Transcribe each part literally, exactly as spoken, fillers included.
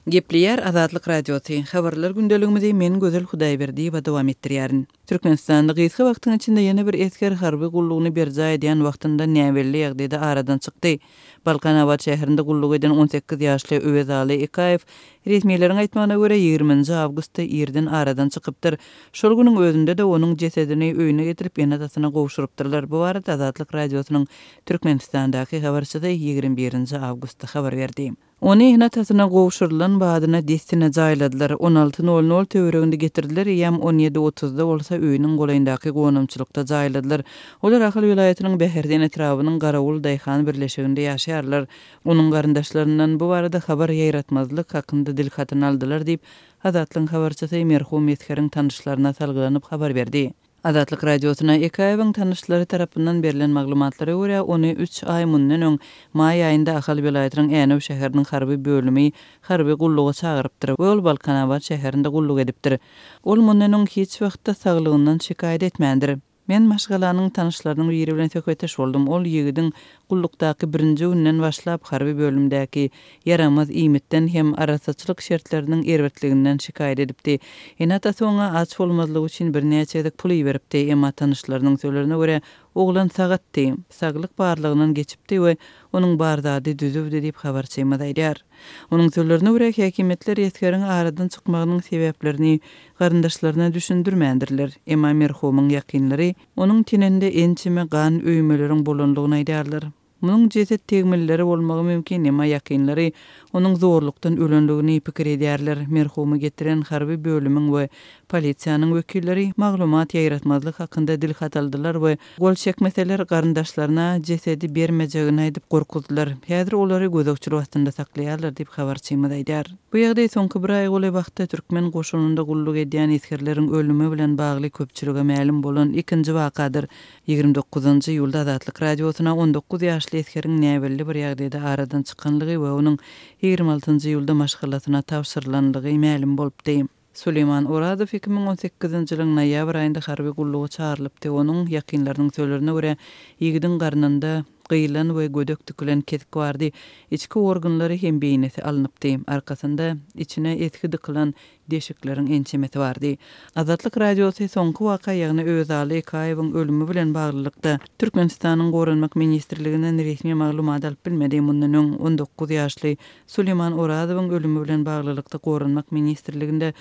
Gepleýär Azatlyk Radiosy. Habarlar gündeligimizi men Gözel Hudaýberdiýewa dowam etdirýärin. Türkmenistanda gysga wagtyň içinde ýene bir esger harby gullugyny berjaý edýän wagtynda näbelli ýagdaýda aradan çykdy. Balkanabat şäherinde gulluk eden on sekiz ýaşly Öwezaly Ekaýew resmileriň aýtmagyna görä ýigriminji awgustda irden aradan çykypdyr. Şol günüň özünde-de onuň jesedini öýüne getirip ene-atasyna gowşurypdyrlar. Bu barada Azatlyk Radiosynyň Türkmenistandaky habarçysy ýigrimi birinji awgustda habar berdi. Ony ene-atasyna gowşurylan badyna dessine jaýladylar. On alty nol nol töwereginde getirdiler, eýýäm on ýedi otuzda bolsa öýüniň golaýyndaky gonamçylykda jaýladylar. Olar Ahal welaýatynyň Bäherden etrabynyň Garawul daýhan birleşiginde ýaşaýarlar. Onuň garyndaşlaryndan bu barada habar ýaýratmazlyk hakynda dil hatyny aldylar diýip, Azatlygyň habarçysy merhum esgeriň tanyşlaryna salgylanyp habar berdi. Azatlyk Radiosyna Ekaýewiň tanyşlary tarapyndan berlen maglumatlara görä, ony üç aý mundan öň maý aýynda Ahal welaýatynyň Änew şäheriniň harby bölümi harby gulluga çagyrypdyr we ol Balkanabat şäherinde gulluk edipdir. Ol mundan öň hiç wagtda saglygyndan şikaýat etmändir. Men maşgalanyň tanyşlarynyň biri bilen söhbetdeş boldum. Ol ýigidiň gullukdaky birinji günden başlap harby bölümdäki ýaramaz iýmitden hem arassaçylyk şertleriniň erbetliginden şikaýat edipdi. Ene-atasy oňa aç bolmazlygy üçin birnäçe gezek pul iberipdi, emma tanyşlarynyň sözlerine görä oglan sagatdy, saglyk barlygyndan geçipdi we onuň bar zady düzüwdi diýip habarçymyz aýdýar. Onuň sözlerine görä häkimiýetler esgeriň aradan çykmagynyň sebäplerini garyndaşlaryna düşündirmändirler. Emma merhumyň ýakynlary onuň teninde ençeme gan öýmeleriň bolanlygyny aýdýarlar. Munuň jeset tegmilleri bolmagy mümkin, emma ýakynlary onuň zorlukdan ölenligini pikir edýärler. Merhumy getiren harby bölümiň we polisiýanyň wekilleri maglumat ýaýratmazlyk hakynda dil hat aldylar we gol çekmeseler garyndaşlaryna jesedi bermejegini aýdyp gorkuzdylar. Häzir olary gözegçilik astynda saklaýarlar diýip habarçymyz aýdýar. Bu ýagdaý soňky bir aý golaý wagtda türkmen goşunynda gulluk edýän esgerleriň ölümi bilen bagly köpçülige mälim bolan ikinji wakadyr. Ýigrimi dokuzynjy iýulda Azatlyk Radiosyna on dokuz ýaşly esgeriň näbelli bir ýagdaýda aradan çykanlygy we onuň ýigrimi altynjy iýulda maşgalasyna tabşyrylanlygy mälim bolupdy. Suleýman Orazow iki müň on sekizinji ýylyň noýabr aýynda harby gulluga çagyrylypdy. Onuň ýakynlarynyň sözlerine görä, ýigidiň garnynda gyýylan we gödek dikilen kesik bardy. Içki organlary hem beýnisi alnypdy. Arkasynda içine esgi dykylan deşikleriň ençemesi bardy. Azatlyk Radiosy soňky waka, ýagny Öwezaly Ekaýewiň ölümi bilen baglylykda Türkmenistanyň Goranmak ministrliginden resmi maglumat alyp bilmedi. Mundan öň on dokuz ýaşly Suleýman Orazowyň ölümi bilen baglylykda Goranmak ministrliginde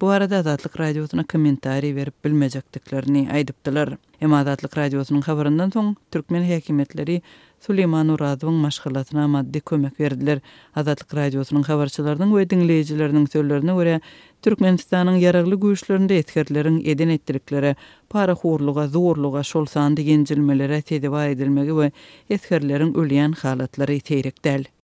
bu arada Azatlyk Radiosyna kommentariý berip bilmejekdiklerini aýdypdylar. Emma Azatlyk Radiosynyň habaryndan soň türkmen häkimiýetleri Suleýman Orazowyň maşgalasyna maddy kömek berdiler. Azatlyk Radiosynyň habarçylarynyň we diňleýjileriniň sözlerine görä, Türkmenistanyň ýaragly güýçlerinde esgerleriň eden etdiliklere, parahorluga, zorluga, şol sanda ýenjilmelere sezewar edilmegi we esgerleriň ölýän halatlary seýrek däl.